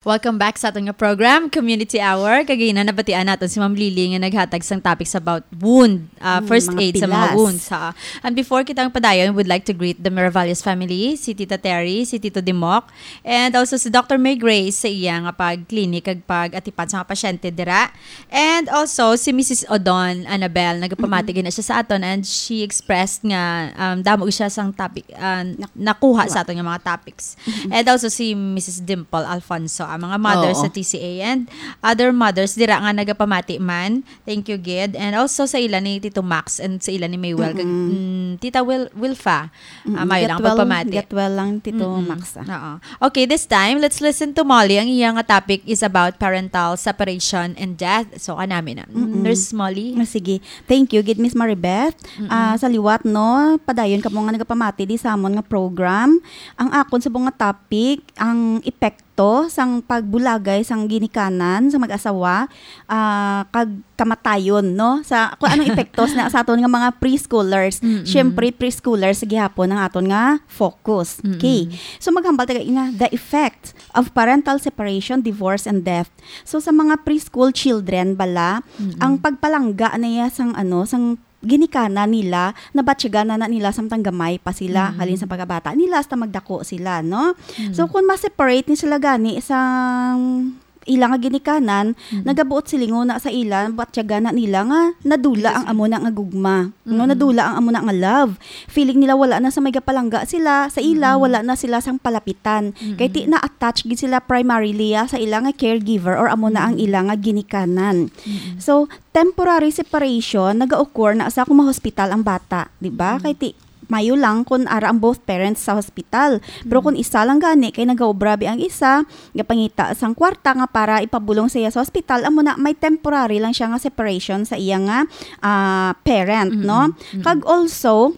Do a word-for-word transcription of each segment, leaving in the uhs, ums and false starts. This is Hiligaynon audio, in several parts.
Welcome back sa aton nga program, Community Hour. Kagina nabatian naton si Ma'am Lily nga naghatag sang topics about wound, uh, Mm, first mga aid sa mga pilas. wounds, ha. And before kita padayon, we'd like to greet the Miravales family, si Tita Terry, si Tito Dimok, and also si Doctor May Grace sa iya nga pag-clinic kag pag-atipan sa mga pasyente dira. And also si Missus Odon Annabel, nagapamati Mm-mm. gina siya sa aton, and she expressed nga, um, damo siya sang topic, uh, Nak- nakuha sa kuha. aton nga mga topics. Mm-mm. And also si Missus Dimple Alfonso, ang mga mothers Oo. sa T C A and other mothers dira nga nagapamati man. Thank you, gid. And also sa ila ni Tito Max and sa ila ni Maywell, kag, Mm-mm. mm, Tita Wil-, Wilfa. Mm-mm. Ah, mayo Get lang well, pagpamati. get well lang, Tito Mm-mm. Max, ah. Oo. Okay, this time, let's listen to Molly. Ang iya nga topic is about parental separation and death. So, kanami na. Mm-mm. Nurse Molly? Ah, sige. Thank you, gid, Miss Maribeth. Mm-mm. Ah, sa liwat, no, padayon kamo nga nagapamati di sa amon nga program. Ang akon subong nga topic, ang epekto sang pagbulagay sang ginikanan sa mag-asawa, ah, kag kamatayon, no? Sa, kung anong epektos na sa aton nga mga preschoolers. Mm-mm. Siyempre, preschoolers gihapon ang aton nga focus. Mm-mm. Okay. So, maghambal ta nga the effect of parental separation, divorce, and death. So, sa mga preschool children bala, Mm-mm. ang pagpalangga na iya sang, ano, sang ginikanan nila, nabatyagan na, na nila samtang gamay pa sila, Mm. halin sa pagkabata nila, hasta magdako sila, no? Mm. So, kung ma-separate ni sila gani sa ila nga ginikanan, Mm. nagabuot silingon na sa ila, batyagan na nila nga nadula Yes. ang amo na nga gugma, no? Mm. Nadula ang amo na nga love. Feeling nila wala na sa may gapalangga sila, sa ila, Mm. wala na sila sang palapitan. Mm. Kay ti na-attach gid sila primarily, ah, sa ila nga caregiver or amo na ang Mm. ila nga ginikanan. Mm. So, temporary separation naga-occur na sa kung ma-hospital ang bata, di ba? Mm. Kay ti, mayo lang kung ara ang both parents sa hospital. Pero Mm. kung isa lang gani kay nagaobrabi ang isa, gapangita sang kwarta nga para ipabulong sa iya sa hospital, amo na may temporary lang siya nga separation sa iya nga, ah, parent, Mm-mm. no? Mm-mm. Kag also,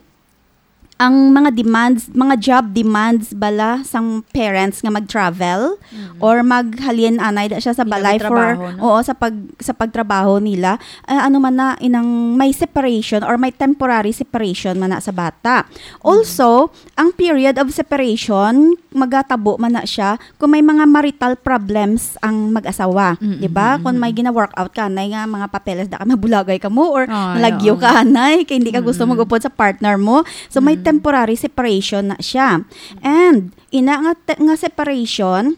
ang mga demands, mga job demands bala sang parents nga mag-travel Mm. or maghalin anay da siya sa Hindi balay for, magtrabaho, no? oo, sa pag, sa pagtrabaho nila. Ah, ano man na, inang may separation or may temporary separation man na sa bata. Mm. Also, ang period of separation, magatabo man na siya kung may mga marital problems ang mag-asawa, Mm, di ba? mm, Kung may mm. gina-work out ka, anay nga mga papeles da ka, mabulagay ka mo, or Ah, nalagyo oo. ka, anay, kay hindi ka gusto Mm. mag-upod sa partner mo. So, may Mm. temporary separation na siya. And, ina nga te-, nga separation,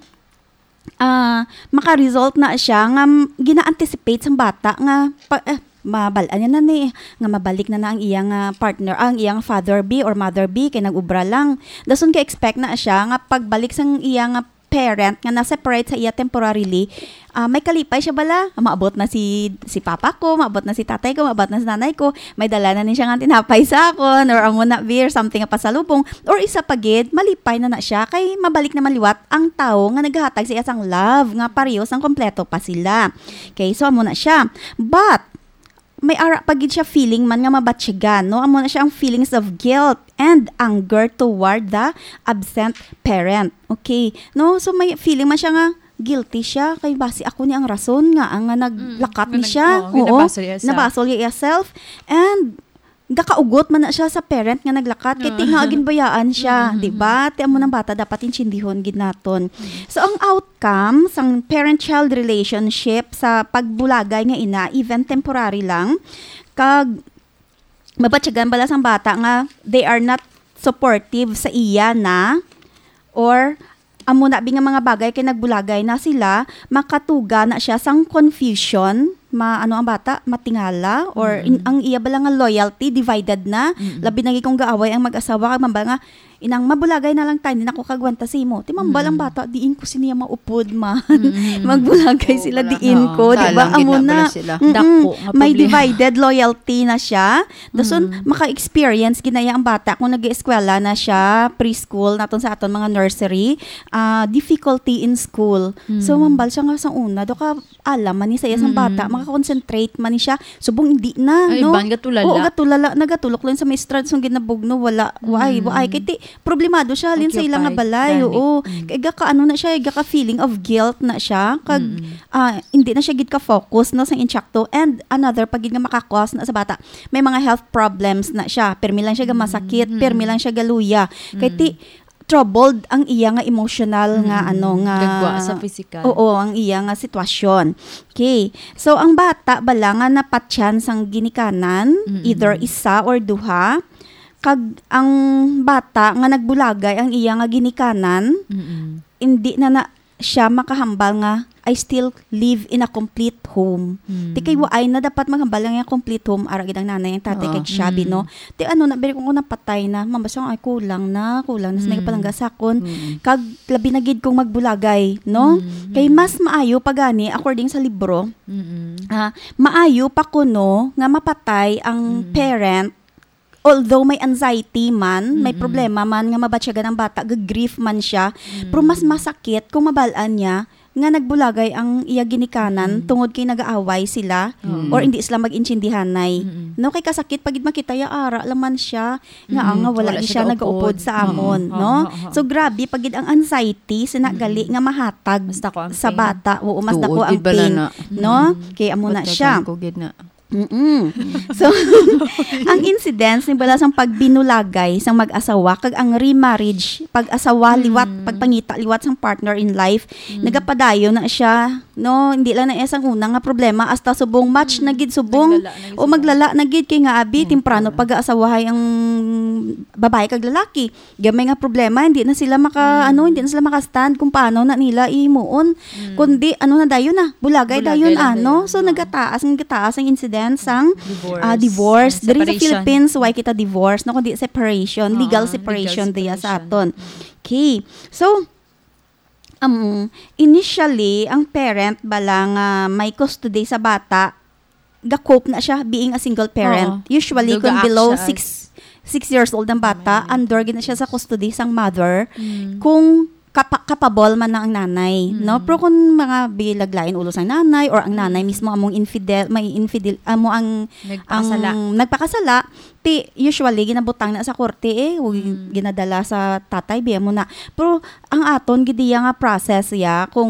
ah, maka-result na siya nga m-, gina-anticipate sang bata nga pa-, eh, mabal-an niya na ni, nga mabalik na na ang iya nga partner, ang iya nga father B or mother B, kay nag-ubra lang. Dason ka-expect na siya nga pagbalik sang iya nga parent nga na-separate sa iya temporarily, ah, may kalipay siya bala. Maabot na si, si papa ko, maabot na si tatay ko, maabot na si nanay ko, may dala na ni siya nga tinapay sa akon, or amo na beer, something nga pasalubong, or isa pa gid, malipay na na siya, kay mabalik naman liwat ang tawo nga naghatag sa iya sang love, nga pareho sang kompleto pa sila. Okay, so amo na siya. But, may ara pa gid siya feeling man nga mabatyagan, no? Amo na siya ang feelings of guilt and anger toward the absent parent. Okay, no? So, may feeling man siya nga guilty siya, kay basi ako ni ang rason nga, ang nga naglakat Mm, ni nga nag-, siya. oo, nga Oo, nabasol iya self. nabasol iya self. And gakaugot man na siya sa parent nga naglakat, kay Oo. ti nga ginbayaan siya, Mm, di mm, ba? Ti amo nang bata dapat intindihon gid naton. Mm. So, ang outcome sang parent-child relationship sa pagbulagay nga ina, even temporary lang, kag mabatyagan bala sang bata nga they are not supportive sa iya na, or amo na bi nga mga bagay kay nagbulagay na sila, makatuga na siya sang confusion, ma-, ano ang bata, matingala, or in-, Mm. ang iya bala nga loyalty divided na, Mm. labi na gid kung gaaway ang mag-asawa, kag mambal nga, "Inang, mabulagay na lang tayo, hindi na ko kagwanta sa imo." Ti mambal ang Mm. bata, "Diin ko siniya maupod man." Mm. Magbulagay Oo, sila, wala. "Diin Oo, ko," di ba? Salang gid Amo na na. bala sila. Mm-mm. Dako nga May problema. divided loyalty na siya. Dason, Mm. maka-experience ginaya ang bata kung nag-eskwela na siya, preschool, naton sa aton mga nursery, ah, difficulty in school. So, Mm. mambal siya nga sa una, do ka alam man ni sa iya sang Mm. bata, makakonsentrate man ni siya. Subong hindi na, Ay, no? ban, gatulala. Oo, gatulala, nagatulok lang sa may estrad, sang ginabugno, wala, waay, Mm. waay. Kay ti, problemado siya, halin sa ila nga Occupied, balay, gani. oo. Mm. Kay gaka, ano na siya, gaka feeling of guilt na siya. Kag, Mm. ah, hindi na siya gid ka-focus, no, sa insakto. And another pa gid nga maka-cause na sa bata, may mga health problems na siya. Pirmi lang siya gamasakit, Mm. pirmi lang siya galuya. Kay Mm. ti, troubled ang iya nga emotional nga, Mm-mm. ano, nga Gagwa sa physical. Oo, ang iya nga sitwasyon. Okay. So, ang bata bala nga napatyan sang ginikanan, Mm-mm. either isa or duha, kag ang bata nga nagbulagay ang iya nga ginikanan, Mm-mm. hindi na na siya makahambal nga, "I still live in a complete home." Mm. Ti kay waay na dapat maghambal nga complete home, ara gid ang nanay, ang tatay, Oo. kag siya, Mm. no? Ti ano na, biro kung napatay na, mambasa, "Ay, kulang na, kulang na sa Mm. nagapalangga sa akon." Mm. Kag labi na gid kung magbulagay, no? Mm. Kay mas maayo pa gani, according sa libro, Mm. ah, maayo pa kuno nga mapatay ang Mm. parent, although may anxiety man, may Mm. problema man nga mabatyagan ang bata, ga-grief man siya, Mm. pero mas masakit kung mabal-an niya nga nagbulagay ang iya ginikanan Mm. tungod kay nag-aaway sila Mm. or hindi sila mag-intindihanay. Mm. No, kay kasakit pa gid makita ya ara lang man siya nga, Mm. nga wala Wala ni siya siya nag-upod. nag-upod sa Oo. amon, Oo, no? oo, oo. So, grabe pa gid ang anxiety, sina Mm. gali nga mahatag Mas dako ang sa pain. bata. Oo, mas Tuod dako ang gid bala pain, na. no? Mm. Kay amo na Batyagan siya. ko gid na. Mm-mm. So, ang incidence ni bala sang pagbinulagay sang mag-asawa kag ang remarriage, pag-asawa liwat, Mm. pagpangita liwat sang partner in life, Mm. nagapadayon na siya, no? Hindi lang na iya sang una nga problema, hasta subong match Mm. na gid subong, Naglala na gid o subong. maglala na gid kay nga abi, Mm, temprano oo. pag-aasawahay ang babae kag lalaki. Gamay nga problema, hindi na sila maka, Mm. ano, hindi na sila maka-stand kung paano na nila ihimuon. Mm. Kundi, ano na dayon na, bulagay Bulagay dayon, lang ano. dayon, So, oo. nagataas, nagataas ang incidence sang, Divorce. ah, divorce. Ang Diri sa separation. Philippines, why kita divorce, no? Kundi separation, Oo, legal legal separation diya sa separation. aton. Okay. So, um, initially, ang parent bala nga may custody sa bata, ga-cope na siya being a single parent. Oo. Usually, Though kung ga-act below siya six, as six years old ang bata, May under gid na siya sa custody sang mother. Mm. Kung kapa-, kapabol man na ang nanay, no? Mm. Pero kung mga bilaglain ulo sang nanay or ang nanay Mm. mismo among infidel, may infidel, amo ang, Nagpakasala. ang nagpakasala, ti usually ginabutang na sa korte, eh, o Mm. ginadala sa tatay, biya mo na. Pero ang aton gid iya nga process, ya, kung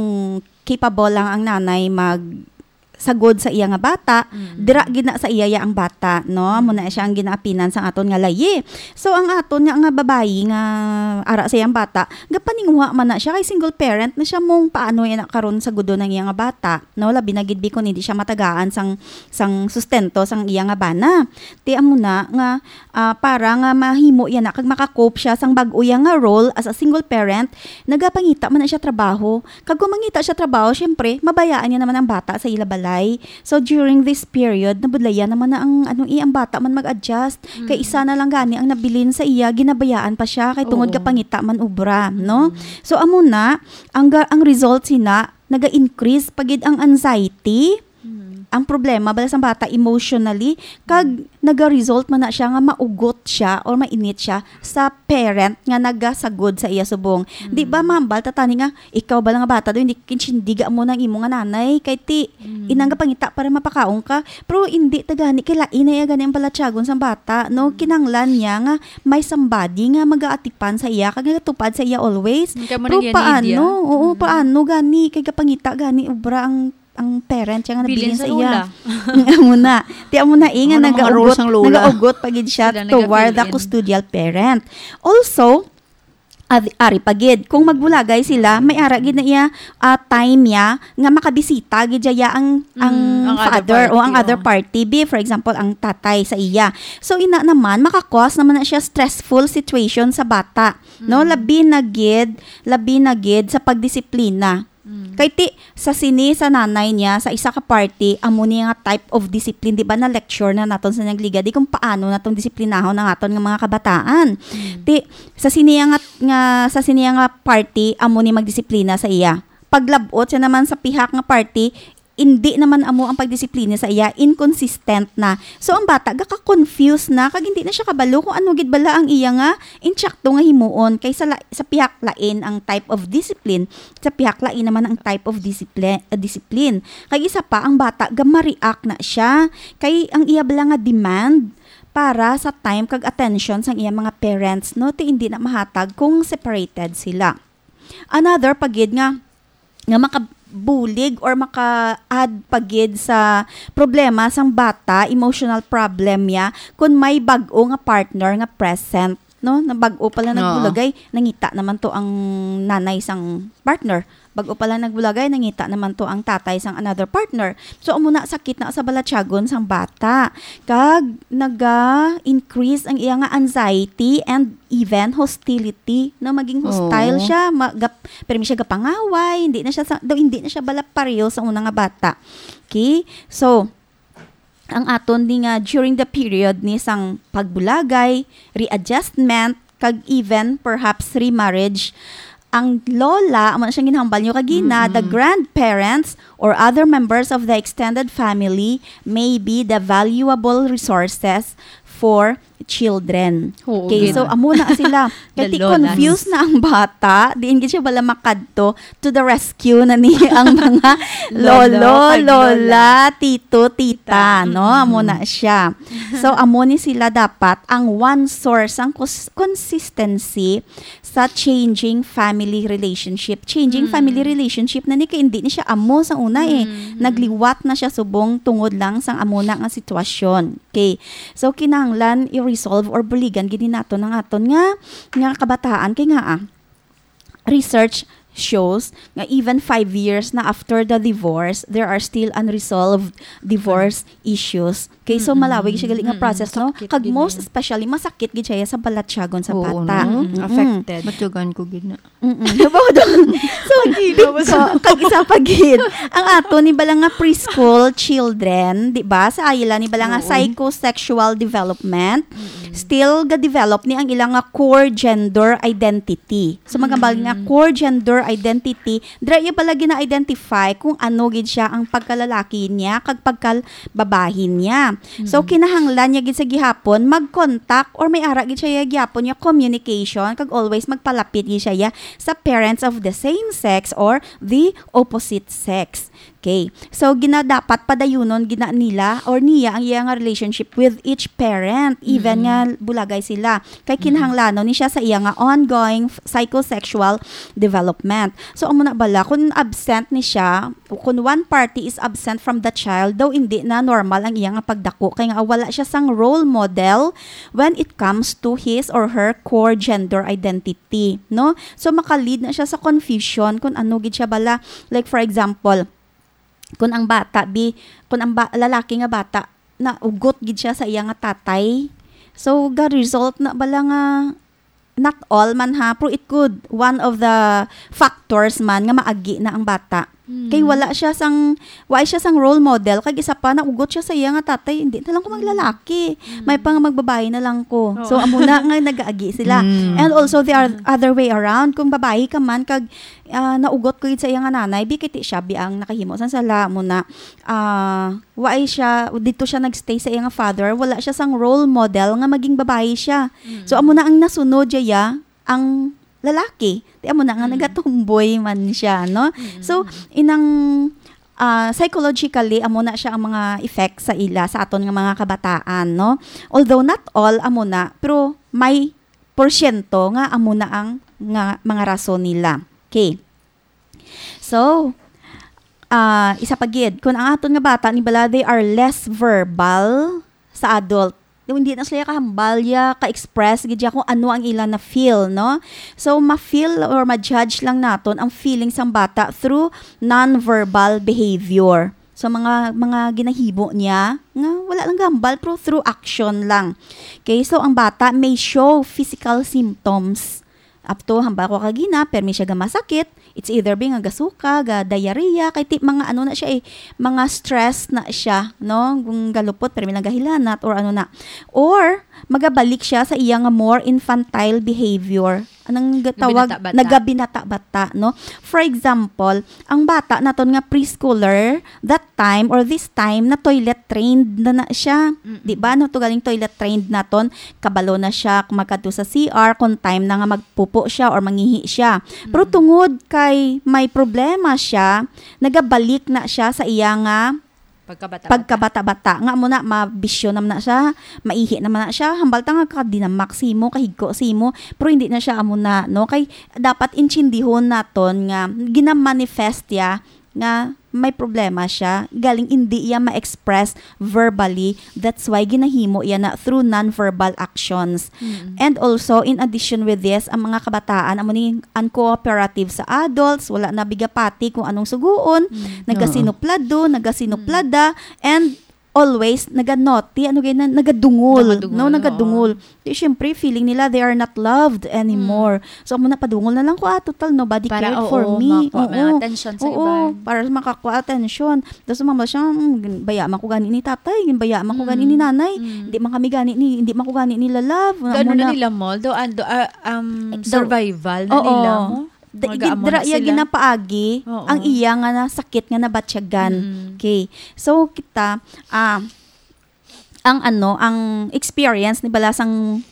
capable lang ang nanay mag sagod sa iya nga bata, Mm. dira gid na sa iya ya ang bata, no? Amo na siya ang ginaapinan sang aton nga layi. So, ang aton nga, nga babayi nga ara sa iyang bata, gapaninguha man na siya kay single parent na siya, mong paano ya na karon sagudon ang iya nga bata, no? Labi na gid bi kung hindi siya matagaan sang, sang sustento sang iya nga bana. Ti amo na nga, ah, para nga mahimo ya na kag maka-cope siya sang bag-o ya nga role as a single parent, nagapangita man na siya trabaho. Kag kung mangita siya trabaho, syempre, mabayaan niya naman ang bata sa ila balay. So, during this period, nabudlayan naman na ang, ano, eh, ang bata man mag-adjust. Kay Mm. isa na lang gani ang nabilin sa iya, ginabayaan pa siya, kay tungod Oo. gapangita man ubra, no? Mm. So, amo na, ang ga-, ang result sina, naga-increase pa gid ang anxiety. Mm. Ang problema bala sang bata emotionally, kag Mm. naga-result man na siya nga maugot siya or mainit siya sa parent nga nagasagod sa iya subong. Mm. Di ba, mambal ta tani nga, ikaw bala nga bata do, hindi kinsindiga mo nang imo nga nanay, kay ti, Mm. inang gapangita para mapakaon ka. Pero hindi ta gani, kay lain na iya gani ang balatyagon sang bata, no? Mm. Kinanglan niya nga may somebody nga magaatipan sa iya, kag nagatupad sa iya always. Kay mo Pero nang yan, paano? Lydia. Oo, Mm. paano gani? Kay gapangita gani, ubra ang, ang parent siya nga Bilin nabilin sa sa iya. lola. Amo na. Ti amo na, eh, nga Ano mga nagaugot, rules ang lola? nagaugot pa gid siya Sila toward the nagapilin. custodial parent. Also, ad-, ari pa gid, kung magbulagay sila, may ara gid na iya, ah, time niya nga makabisita gid siya ang, Mm, ang ang other father o ang party, other oh. party. Be, for example, ang tatay sa iya. So, ina naman, maka-cause naman na siya stressful situation sa bata, no? Mm. Labi na gid, labi na gid sa pagdisiplina. Mm. Kay ti, sa sini, sa nanay niya, sa isa ka party, amo ni nga type of discipline, di ba, na lecture na naton sa nagligad, di kung paano naton disiplinahon ang aton nga mga kabataan. Mm. Ti, sa sini nga, nga, sa sini nga party, amo ni magdisiplina sa iya. Paglabot siya naman sa pihak nga party, hindi naman amo ang pagdisiplina sa iya, inconsistent na. So, ang bata, gaka-confuse na, kag hindi na siya kabalo kung ano gid bala ang iya nga insakto nga himuon, kay sa la-, sa pihak lain ang type of discipline, sa pihak lain naman ang type of discipline, uh, discipline. Kag isa pa, ang bata, gama-react na siya, kay ang iya bala nga demand para sa time kag attention sang iya mga parents, no, ti hindi na mahatag kung separated sila. Another pa gid nga, nga makabulig or maka-add pa gid sa problema sang bata, emotional problem niya, kung may bag-o nga partner nga present. no? Na bag-o pa lang Oo. nagbulagay, nangita naman to ang nanay sang partner. Bag-o pa lang nagbulagay, nangita naman to ang tatay sang another partner. So, amo na, sakit na sa balatyagon sang bata. Kag naga-increase ang iya nga anxiety and even hostility, na maging hostile Oo. siya, ma-, gap-, pero siya gapangaway, hindi na siya sa, daw hindi na siya bala pareho sa una nga bata. Okay? So, ang aton ni nga during the period ni sang pagbulagay, readjustment, kag even perhaps remarriage, ang lola, amo na siyang ginhambal nyo kagina, the Mm-mm. grandparents or other members of the extended family may be the valuable resources for children. Oo, Okay, gid. so amo na sila. The Kay ti lolas. confused na ang bata, diin gid siya bala makadto to the rescue na ni ang mga Lolo, lolo, kag lola, lola. tito, tita, Tita. no? Amo Mm-mm. na siya. So, amo ni sila dapat ang one source, ang cons-, consistency sa changing family relationship. Changing Mm. family relationship na ni kay hindi ni siya amo sa una eh. Mm-hmm. Nagliwat na siya subong tungod lang sang amo na nga sitwasyon. Okay. So, kinahanglan i-resolve or buligan gid ni naton ang aton nga, nga kabataan. Kay nga, ah, research shows nga even five years na after the divorce, there are still unresolved divorce issues. Okay, so Mm-mm. malawig siya gali nga Mm-mm. process, no? Sakit Kag gid most na yun. especially, masakit gid siya sa balatyagon sa Oo, bata. no? Mm-mm. Affected. Matyagan ko gid na. Mm-mm. Diba, doon? So, Ang ilaw big sa ko. Kag isa pa gid, ang ato ni bala nga preschool children, di ba? Sa ila ni bala nga Oo. psychosexual development, Mm-mm. still ga-develop ni ang ilang nga core gender identity. So, magambal nga Mm. core gender identity, dira iya bala gina-identify kung ano gid siya ang pagkalalaki niya kag pagkababahin niya. So, Mm. kinahanglan niya gid sa gihapon mag-contact or may ara gid siya gihapon niya communication kag always magpalapit gid siya sa parents of the same sex or the opposite sex. Okay. So, ginadapat padayunon gina nila or niya ang iya nga relationship with each parent, even Mm. nga bulagay sila. Kay Mm. kinahanglanon ni siya sa iya nga ongoing f-, psychosexual development. So, amo na bala, kung absent ni siya, kung one party is absent from the child, daw hindi na normal ang iya nga pagdako. Kay nga wala siya sang role model when it comes to his or her core gender identity, no? So, maka-lead na siya sa confusion kung ano gid siya bala. Like, for example, kung ang bata, bi, kung ang ba-, lalaki nga bata, naugot gid siya sa iya nga tatay. So, ga-result na bala nga, not all man ha, pero it could, one of the factors man nga maagi na ang bata. Mm. Kay wala siya sang, wala siya sang role model, kag isa pa, naugot siya sa iya nga tatay, "Hindi na lang ko Mm. maglalaki. Mm. May pa nga magbabayi na lang ko." Oh. So, amo na nga nagaagi sila. Mm. And also, the oth-, Mm. other way around, kung babayi ka man, kag, ah, naugot ko gid sa iya nga nanay, bi kay ti siya, bi ang nakahimo sang sala, amo na, ah, Wa ay siya, dito siya nagstay sa iyang father, wala siya sang role model nga maging babayi siya. Mm. So, amo na ang nasunod siya, ang lalaki. Di amo na nga Mm. nagatumboy man siya, no? Mm. So, inang, ah, psychologically, amo na siya ang mga effects sa ila, sa aton nga mga kabataan, no? Although not all, amo na, pero may porsyento nga amo na ang nga mga rason nila. Okay. So, ah, isa pa gid, kung ang aton nga bata ni bala, they are less verbal sa adult. Yung hindi na sila kahambal ya, ka-express gid ya kung ano ang ila na feel, no? So, ma-feel or ma-judge lang naton ang feelings sang bata through non-verbal behavior. So, mga, mga ginahimo niya, nga wala lang gambal, pero through action lang. Okay, so ang bata may show physical symptoms. Up to, hambal ko kagina, permi siya gamasakit. It's either bi nga gasuka, ga diarrhea, kay ti-, mga ano na siya eh, mga stress na siya, no? Kung galupot, permi lang gahilanat or ano na. Or, magabalik siya sa iya nga more infantile behavior. Anong gatawag? Nagabinata-bata. Nagabinata-bata, no? For example, ang bata naton nga preschooler, that time or this time, na toilet trained na na siya. Mm-mm. Di ba? No, to galing toilet trained naton, kabalo na siya kung magkadto sa C R, kung time na nga magpupo siya or mangihi siya. Pero Mm-mm. tungod kay may problema siya, nagabalik na siya sa iya nga Pagkabata-bata. pagkabata-bata. Nga amo na, mabisyo naman na siya, maihi naman na siya, hambal ta nga kadinamak simo, kahigko simo, pero hindi na siya amo na, no? Kay dapat intindihon naton nga ginamanifest ya nga may problema siya, galing hindi iya ma-express verbally. That's why ginahimo iya na through non-verbal actions. Mm. And also, in addition with this, ang mga kabataan amo ni uncooperative sa adults, wala na bigapati kung anong suguon, Mm. nagasinuplado, nagasinuplada, and always naganoti, ano gani na, nagadungol, Nagadungol, no, nagadungol. Oo. Di, syempre, feeling nila they are not loved anymore. So, amo na, padungol na lang ko, ah, total, nobody Para, cared oo, for me. makuha mo ng Oo. attention sa Oo, iban. Para makakuha attention. Tapos, mama siya, "Mm, baya man ko gani ni tatay, baya man ko gani ni Mm. nanay. Mm. Hindi man kami gani ni, hindi man ko gani nila love." Amo Ano na na. Nila mo? Do, ah, do, ah, um, Eh, do- survival na Oo. nila mo? Da-, Mga gid-, amo dira na iya sila. ginapaagi Oo. ang iya nga nasakit nga nabatyagan. Mm. Okay. So, kita, ah, ang ano, ang experience ni bala sang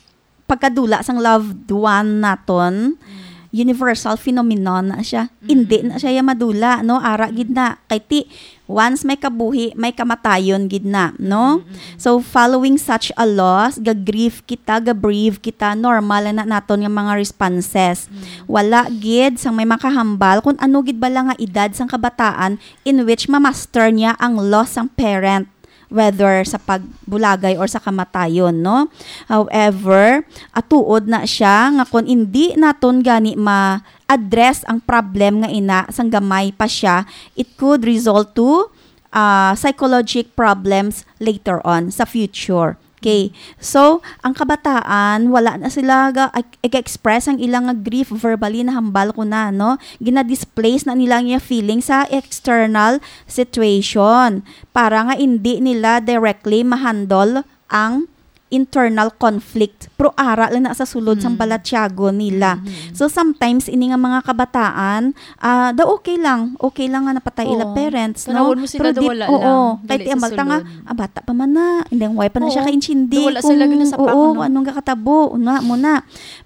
pagkadula sang loved one naton, Mm. universal phenomenon na siya. Mm. Hindi na siya ya madula, no? Ara gid na. Kay ti, once may kabuhi, may kamatayon gid na, no? Mm, mm, mm. So, following such a loss, ga-grief kita, ga-bereave kita, normal na naton nga mga responses. Mm. Wala gid sang may makahambal kung ano gid bala nga edad sang kabataan in which ma-master niya ang loss sang parent, whether sa pagbulagay or sa kamatayon, no? However, atuod na siya nga kung indi naton gani ma-address ang problem nga ina sang gamay pa siya, it could result to, ah, psychologic problems later on, sa future. Okay. So, ang kabataan, wala na sila ga-, ag-, ag-express ang ilang nga grief verbally, na hambal ko na, no? Gina-displace na nila ang iya feeling sa external situation para nga indi nila directly ma-handle ang internal conflict. Pero ara lang na sa sulod sang Mm. balatyagon nila. Mhm. So, sometimes, ini nga mga kabataan, ah, daw okay lang. Okay lang nga napatay ila Oo. parents, no? Tanawon mo sila, Pero di, wala oo, lang. Kay Dali ti sa ambal ta nga, sulod. Ah, bata pa man na. Hindi, why pa na siya Oo. kaintindi Wala kung, sila ginasapa, oo, no? Kung anong kakatabo. Una mo na.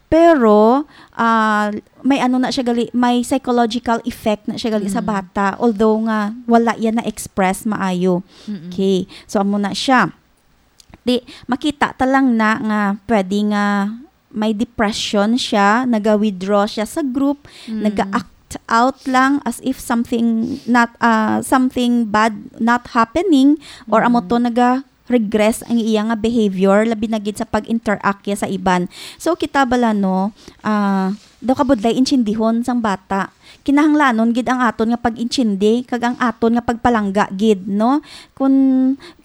Pero, ah, may ano na siya gali, may psychological effect na siya gali sa Mm. bata. Although nga, wala yan na-express maayo. Mm-mm. Okay. So, amo na siya. Di, makita ta lang na nga pwede nga may depression siya, naga-withdraw siya sa group, Mm. naga-act out lang as if something not, ah, something bad not happening, or amo Mm. to, naga-regress ang iya nga behavior, labi na gid sa pag-interact niya sa iban. So, kita bala, no, ah, daw kabudlay intindihon sang bata. Kinahanglanon gid ang aton nga pag-intindi kag ang aton nga pagpalangga gid, no? Kun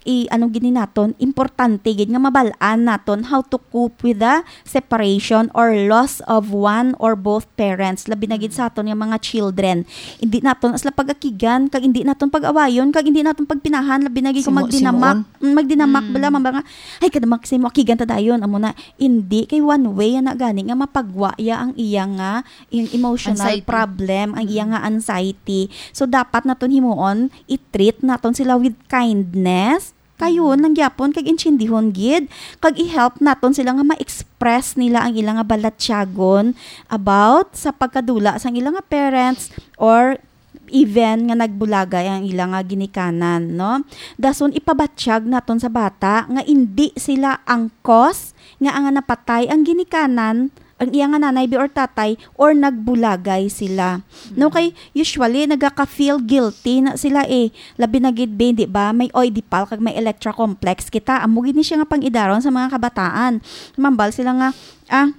i-, ano gid ni naton, importante gid nga mabal-an naton how to cope with the separation or loss of one or both parents, labi na gid sa aton nga mga children. Hindi naton sila pag-akigan, kag hindi naton pag-awayon, kag hindi naton pagpinahan, labi na gid kung Simo-, magdinamak. simoon. Mm, magdinamak Mm. bala, mamba nga, "Ay, kada mak-, simo, akigan ta dayon," amo na. Hindi, kay one way na gani nga mapagwa ya ang iya nga in-, emotional Anxiety. problem, ang iya Mm. nga anxiety. So, dapat naton himuon, i-treat naton sila with kindness. Kayo, Mm. nang gyapon, kag intindihon gid, kag i-help naton sila nga ma-express nila ang ila nga balatyagon about sa pagkadula sang ila nga parents or even nga nagbulagay ang ila nga ginikanan, no? Dason ipabatyag naton sa bata nga indi sila ang cause nga ang napatay ang ginikanan, ang iya nga nanay bi or tatay, or nagbulagay sila. No, Mm. kay usually nagaka-feel guilty na sila eh. Labi na gid bi, di ba? May Oedipal kag may Electra complex kita. Amo gid ni siya nga pang-idaron sa mga kabataan. Mambal sila nga, ah,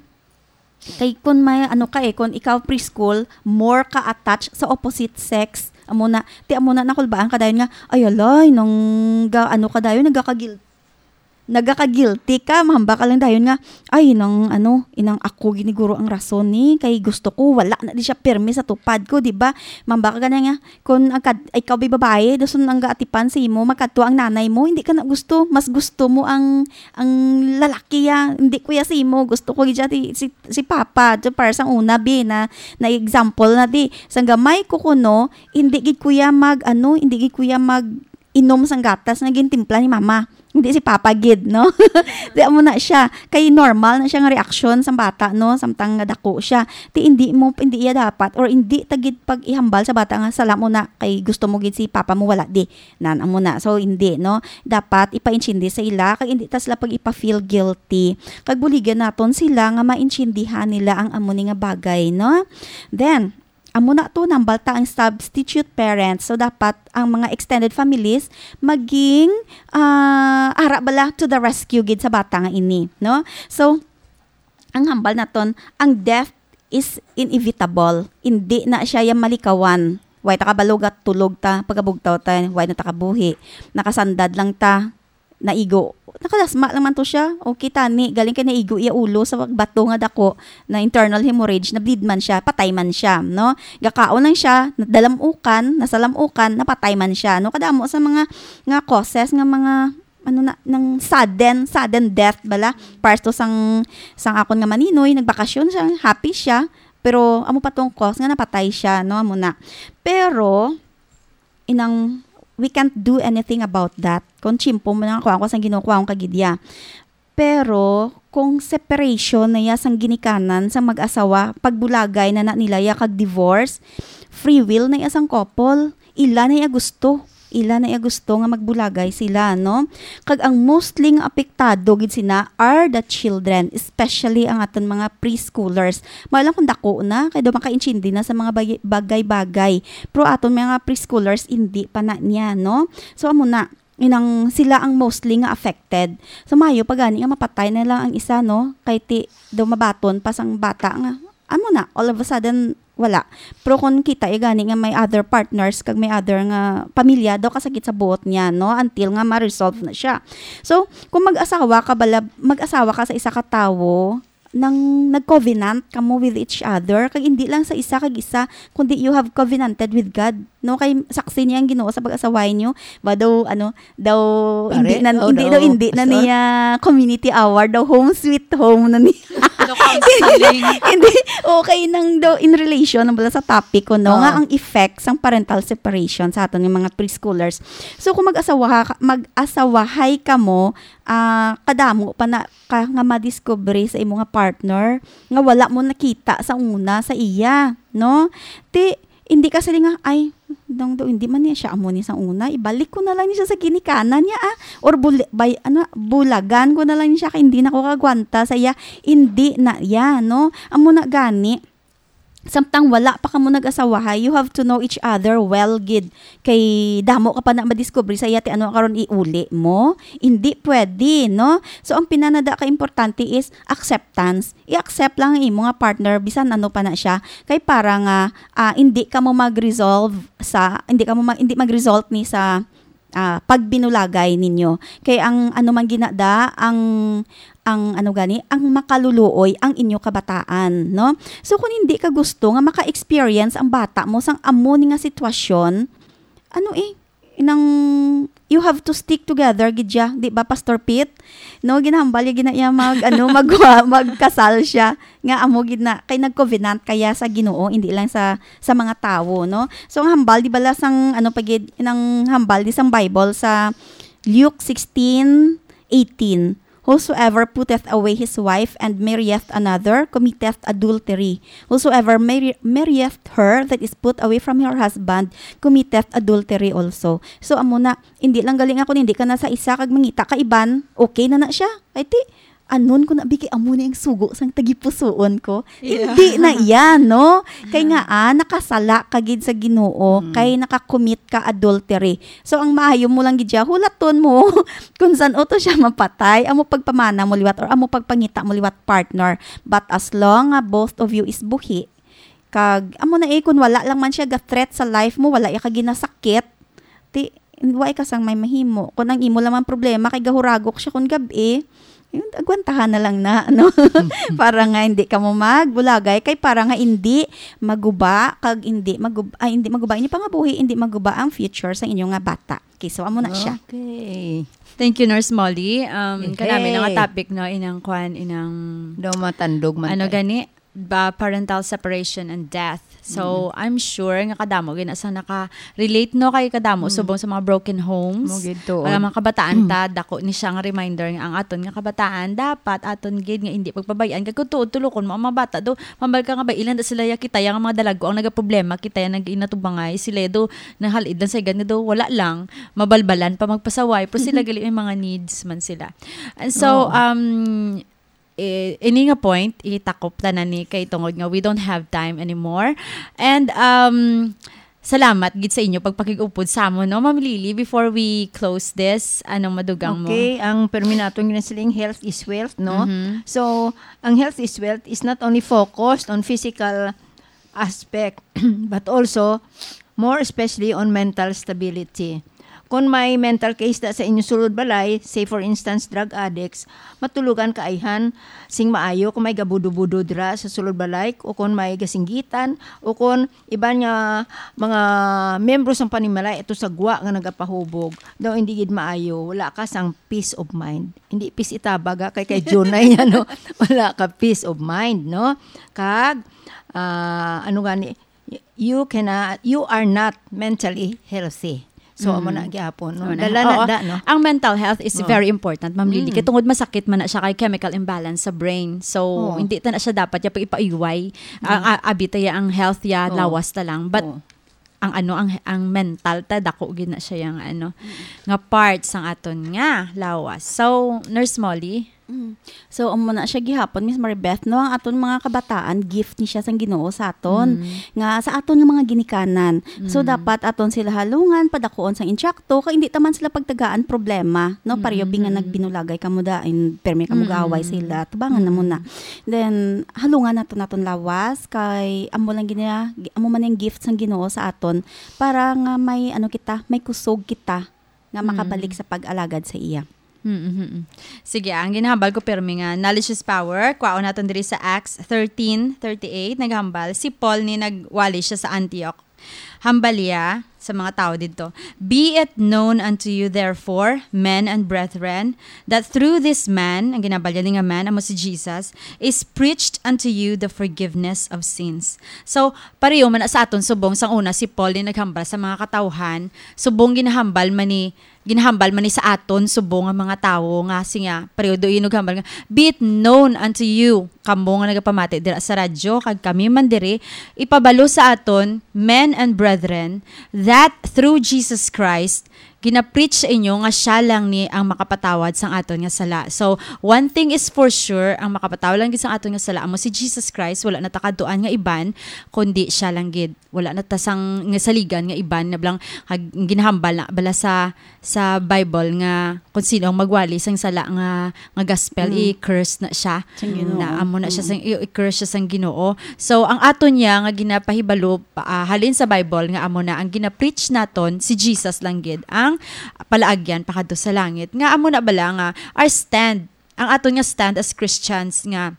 kay kun may ano ka eh, kun ikaw preschool, more ka attached sa opposite sex. Amo na, ti amo na nakulbaan ka dayon nga, ay alay, nang ga, ano ka dayon, nagaka-guil-, nagaka-guilty ka, mahamba ka lang dayon nga, ay, nang ano, inang ako giniguro ang rason ni, kay gusto ko, wala na di siya pirmi sa tupad ko, di ba? Mahamba ka gani nga, kun ang kad-, ikaw bi babae, dason ang gaatipan sa imo, magkadto ang nanay mo, hindi ka na gusto, mas gusto mo ang, ang lalaki ya, hindi ko ya sa imo, gusto ko gid siya si, si, si papa, so para sa una bi na, na example na di, sang gamay ko kuno, hindi gid ko ya mag, ano, hindi gid ko ya mag inom sang gatas nga gintimpla ni mama. Hindi si papa gid, no? Di amo na siya. Kay normal na siya nga reaksyon sang bata, no? Samtang nga dako siya. Ti hindi mo, hindi iya dapat, or hindi ta gid pag-ihambal sa bata nga, "Sala mo na, kay gusto mo gid si papa mo, wala di." Nan, amo na. So, hindi, no? Dapat ipaintindi sa ila, kag hindi ta sila pag-ipa-feel guilty. Kag buligan naton sila nga maintindihan nila ang amo ni nga bagay, no? Then, amo na to, nambal ta ang substitute parents. So, dapat ang mga extended families maging, ah, ara bala to the rescue gid sa bata nga ini, no? So, ang hambal naton, ang death is inevitable. Hindi na siya yang malikawan. Way ta kabalo, tulog ta, pagkabugtaw ta, way na ta kabuhi. Nakasandad lang ta, naigo. Nakalasma lang man to siya. Okay, tani, galing kay naigo iya ulo sa bato nga dako, na internal hemorrhage, na-bleed man siya, patay man siya, no? Gakaon lang siya, nadalamukan, nasalamukan, napatay man siya, no? Kadamo sa mga, nga causes nga mga, ano na, ng sudden, sudden death bala. Pares to sang, sang akon nga maninoy, nagbakasyon siya, happy siya, pero amo pa tong cause nga napatay siya, no? Amo na. Pero, inang, we can't do anything about that. Kung tiyempo mo na nga kuhaan ko sang Ginoo, kuhaan ka gid ya. Pero kung separation na ya sang ginikanan sang mag-asawa, pagbulagay na na nila ya kag divorce, free will na ya sang couple. Ila na ya gusto. Ila na ya gusto nga magbulagay sila, no? Kag ang mostly nga apektado gid sina are the children, especially ang aton mga preschoolers. Maayo lang kung dako na, kay daw makaintindi na sa mga bay-, bagay-bagay. Pero aton mga preschoolers, hindi pa na niya, no? So, amo na, inang sila ang mostly nga affected. So, maayo pa gani nga mapatay na lang ang isa, no? Kay ti, daw mabaton pa sang bata nga, amo na, all of a sudden, wala. Pero kung kita ya gani nga may other partners, kag may other nga pamilya, daw kasakit sa buot niya, no? Until nga ma-resolve na siya. So, kung mag-asawa ka bala, mag-asawa ka sa isa ka tawo, nang nag-covenant kamo with each other, kag hindi lang sa isa kag isa, kundi you have covenanted with God, no? Kay saksi niya ang Ginoo sa pag-asaway niyo. Ba daw, ano, daw, Pare, hindi na, oh, hindi daw, daw, hindi na pastor. Niya community hour, daw home sweet home na niya. Daw counseling. Hindi, okay nang daw in relation, ang bala sa topic ko, no? Oo. Nga ang effect sang parental separation sa aton nga mga preschoolers. So, kung mag-asawa ka, mag-asawahay kamo, ah, kadamo pa na ka nga madiskubre sa imo nga partner nga wala mo nakita sa una sa iya, no? Ti, hindi ka sila nga, "Ay, dong do, hindi man niya siya amo ni sa una. Ibalik ko na lang ni siya sa ginikanan niya, ah. Or bul-, bay-, ano, bulagan ko na lang ni siya kay hindi na ko kagwanta sa iya." Hindi na iya, no? Amo na gani, samtang wala pa kamo nag-asawahay, you have to know each other well gid. Kay damo ka pa na madiskubre sa iya, ti ano karon iuli mo? Hindi pwede, no? So, ang pinanada ka importante is acceptance. I-accept lang ang imo nga partner, bisan ano pa na siya. Kay para nga, ah, hindi ka mo mag-resolve sa, hindi ka mo ma-, hindi mag-result ni sa ah, pagbinulagay ninyo. Kay ang ano man ginada, ang, ang ano gani, ang makaluluoy ang inyo kabataan, no? So, kung hindi ka gusto nga maka-experience ang bata mo sang amo ni nga sitwasyon, ano eh, nang you have to stick together, gid ya, di ba, Pastor Pete? No, ginahambal ya gina iya mag, ano, mag, magkasal siya. Nga amo gid na, kay nag-covenant kaya sa Ginoo, hindi lang sa, sa mga tawo, no? So, ang hambal, di bala sang, ano pa gid, nang hambal di sang Bible sa Luke sixteen eighteen, "Whosoever putteth away his wife and marrieth another committeth adultery. Whosoever marri-, marrieth her that is put away from her husband committeth adultery also." So, amo na, hindi lang gali nga kung hindi ka na sa isa kag mangita ka iban, okay na na siya. Kay ti, anon ko na, bigi, amo ni ang sugo sang tagipusoon ko. Yeah. Hindi na iya, no? Kay nga, ah, nakasala ka gid sa Ginoo, Mm. kay nakakommit ka adultery. So, ang maayo mo lang gid siya, hulaton mo kung san-o to siya mapatay, amo pagpamana mo liwat or amo pagpangita mo liwat, partner. But as long nga both of you is buhi, kag amo na eh, kung wala lang man siya ga-threat sa life mo, wala iya ka ginasakit, ti, wala ka sang may mahimo. Kung ang imo lang man problema kay gahuragok siya kung gab-i, yun, agwantahan na lang na, no? Para nga hindi ka mo magbulagay, kay para nga hindi maguba, kag hindi magub-, ay, hindi maguba inyo pangabuhi, hindi maguba ang future sa inyo nga bata. Okay, so amo na siya. Okay. Thank you, Nurse Molly. Um, Yehey. Kanami na nga topic, no, inang kwan, inang Daw matandog man ano tayo. Gani? Ba, parental separation and death. So, Mm. I'm sure nga kadamo gina sa naka-relate, no, kay kadamo Mm. subong sa mga broken homes. Mo gid, tuod. Ang mga kabataan Mm. ta, dako ni siya nga reminder nga ang aton nga kabataan, dapat aton gid nga hindi pagpabayaan. Kay kung tuod, tulokon mo ang mga bata, do, mambal ka nga ba, ilan da sila ya kita, yang mga dalago ang nagaproblema, kita yang nag-inatubangay, sila do, nahal-id lang sa igan nga do, wala lang, mabalbalan pa magpasaway, pero sila gali may mga needs man sila. And so, Oo. um, eh, ini nga point, itakop tanan ni kay tungod nga we don't have time anymore. And, um, salamat gid sa inyo pagpakig-upod sa amon, no, Ma'am Lily, before we close this, anong madugang mo? Okay, ang permi naton nga siling health is wealth, no? Mhm. So, ang health is wealth is not only focused on physical aspect, but also, more especially, on mental stability. Kung may mental case da sa inyo sulod balay, say for instance, drug addicts, matulogan ka ayhan sing maayo kung may gabudo-budo dira sa sulod balay, o kung may gasinggitan, o kung iban nga mga membro sang panimalay ato sa gwa nga nagapahubog, daw hindi gid maayo, wala ka sang peace of mind. Hindi peace itabag, ha, kay kay Junay, ano, wala ka peace of mind, no? Kag, ah, ano gani, you cannot, you are not mentally healthy. So, Mm. amo na gyapon, no? Amo na. Dala na Oo. da, no? Ang mental health is Oo. very important, Ma'am Lily. Mm. Kay tungod masakit man na siya kay chemical imbalance sa brain. So, Oo. hindi ta na siya dapat ya pag ipaiway. Ang a- abi ta ya ang health ya, Oo. lawas ta lang. But Oo. ang ano, ang ang mental ta, dako gid na siya yang ano, nga part sang aton nga lawas. So, Nurse Molly? Mm. So, amo na siya gihapon, Miss Maribeth, no? Ang aton mga kabataan, gift ni siya sang Ginoo sa aton. Mm. Nga sa aton nga mga ginikanan. So, Mm. dapat aton sila halungan, padakuon sang intsakto, kay hindi ta man sila pagtagaan problema, no? Pareho bi nga Mm. nagbinulagay kamo dain, permi kamo Mm. gaaway sila, tubangan na Mm. muna. Then, halungan naton naton lawas, kay amo lang gina, amo man ang gift sang Ginoo sa aton, para nga may, ano kita, may kusog kita, nga Mm. makabalik sa pag-alagad sa iya. Mm, mm, mm. Sige, ang ginahambal ko, pirmi nga, knowledge is power. Kwaon naton diri sa Acts thirteen thirty-eight, naghambal, si Paul ni nagwali siya sa Antioch. Hambal iya sa mga tawo didto, "Be it known unto you, therefore, men and brethren, that through this man," ang ginahambal niya ni nga man, amo si Jesus, "is preached unto you the forgiveness of sins." So, pareho man na sa aton subong, sang una si Paul ni naghambal sa mga katawhan, subong ginahambal man ni ginahambal man ni sa aton subong nga mga tawo nga siya, pareho do inughambal nga, "Be it known unto you," kamo nga nagapamati dira sa radyo, kag kami man diri, ipabalo sa aton, men and brethren, that through Jesus Christ, ginapreach sa inyo nga siya lang ni ang makapatawad sang aton nga sala. So, one thing is for sure, ang makapatawad lang gid sang aton nga sala amo si Jesus Christ, wala na ta kadtuan nga iban, kundi siya lang gid. Wala na ta sang nga saligan nga iban, na bala ang ginahambal na bala sa, sa Bible nga kung sino ang magwali sang sala nga, nga gospel, Mm. i-curse na siya. Sang Ginoo. Na amo na siya Mm. sang, i-, i-curse siya sang Ginoo. So, ang aton niya nga ginapahibalo, ah, halin sa Bible nga amo na ang ginapreach naton, si Jesus lang gid ang palaagyan pakadto sa langit. Nga amo na bala nga our stand, ang aton nga stand as Christians nga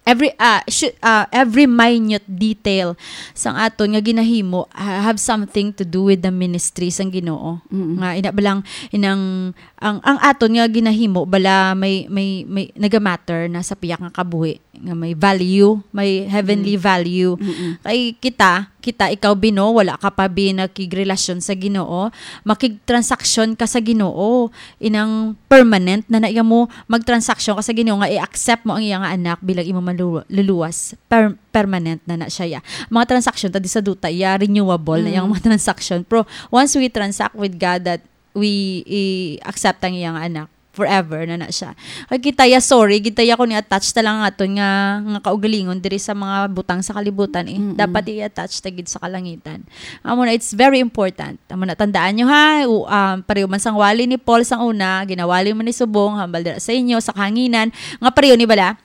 every, ah, should, ah, every minute detail sang aton nga ginahimo ha-, have something to do with the ministry sang Ginoo. Mm-mm. Nga ina ba lang inang ang, ang aton nga ginahimo bala may, may, may nagamatter na sa piyak nga kabuhi nga may value, may heavenly Mm. value. Mm-mm. Kay kita, kita ikaw bino, wala ka pa bi nakigrelasyon sa Ginoo, makigtransaksyon ka sa Ginoo. Inang permanent na na iya mo magtransaksyon ka sa Ginoo nga i-accept mo ang iya nga anak bilang imo manlulu-, luluwas. Per-, permanent na na siya ya. Mga transaksyon ta di sa duta iya renewable na yang Mm. mga transaksyon. Pero once we transact with God that we i-accept ang iya nga anak, forever na na siya. Kay kita ya, sorry, kita ya kung i-attach ta lang aton nga, nga kaugalingon diri sa mga butang sa kalibutan eh. Mm-mm. Dapat i-attach ta gid sa kalangitan. Amo na, it's very important. Amo na, tandaan nyo ha, u-, um, pareho man sang wali ni Paul sang una, ginawali man ni subong, hambal dira sa inyo, sa kahanginan, nga pareho ni bala,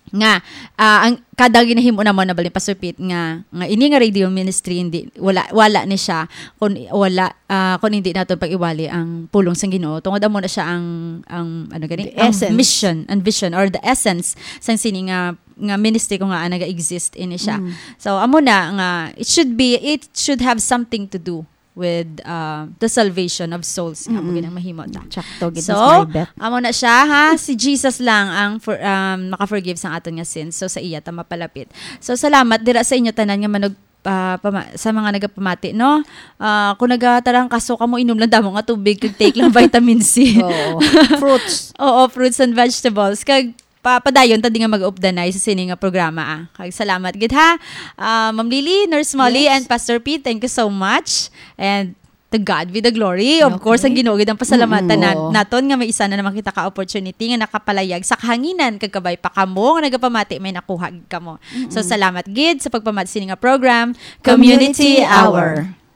nga, ah, ang kada ginahimo namo na bali pasupit nga, nga ini nga radio ministry hindi, wala, wala ni siya kung wala, ah, kung hindi naton pag-iwali ang pulong sang Ginoo. Tungod amo na siya ang, ang, ano gani? The Ang essence. mission, ang vision, or the essence sang sini nga, nga ministry ko nga, ah, naga-exist ini siya. Mm. So, amo na nga, it should be, it should have something to do with, uh, the salvation of souls nga amo Mm-mm. ginang mahimo ta. Tsakto gid, So, Miss Maribeth. Amo na siya, ha? Si Jesus lang ang for, um, maka-forgive sang aton nga sins. So, sa iya ta mapalapit. So, salamat dira sa inyo tanan nga manug-, ah, pama-, sa mga nagapamati, no? Ah, kung nagatarangkaso kamo, inom lang damo nga tubig, kag take lang vitamin C. Oo. Fruits. Oo, fruits and vegetables. Kag pa-, padayon ta di nga mag-updanay sa sini nga programa, ah. Kag salamat gid, ha. Ah, Ma'am Lily, Nurse Molly, Yes. and Pastor Pete, thank you so much. And To God be the glory. Of Okay. Course, ang Ginoo gid ang pasalamatan Mm, na, oo. naton nga may isa na naman kita ka opportunity nga nakapalayag sa kahanginan kag kabay pa kamo nga nagapamati may nakuha gid kamo. So salamat gid sa pagpamati sini nga program, Community Hour.